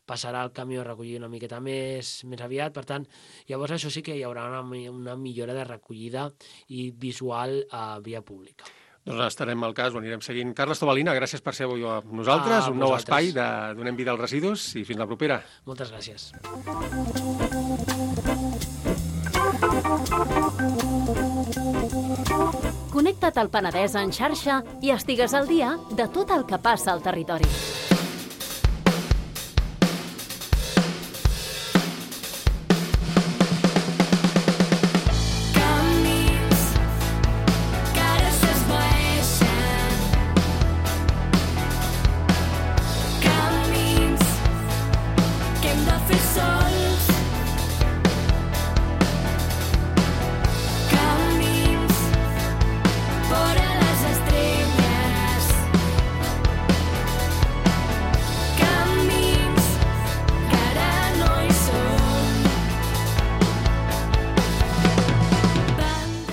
passarà el camió a recollir una miqueta més, més aviat, per tant, llavors això sí que hi haurà una, una millora de recollida i visual a via pública. Doncs estarem al cas, ho anirem seguint. Carles Tobalina, gràcies per ser avui amb nosaltres, ah, un nou espai de Donem vida als residus i fins la propera. Moltes gràcies. Connecta't al Penedès en xarxa i estigues al dia de tot el que passa al territori.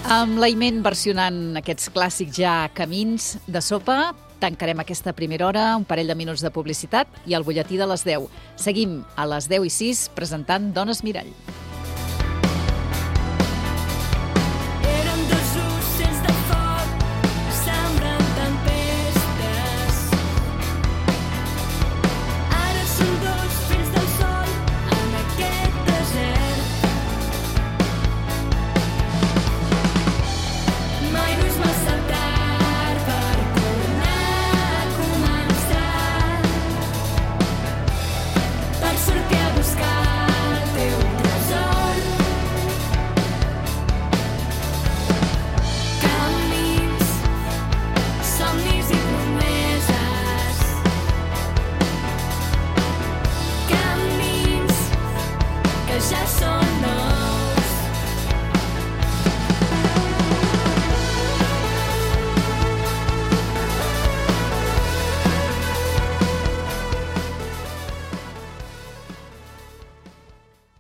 Amb l'Aiment versionant aquests clàssics ja camins de sopa, tancarem aquesta primera hora, un parell de minuts de publicitat i el butlletí de les deu. Seguim a les deu i sis presentant Dones Mirall.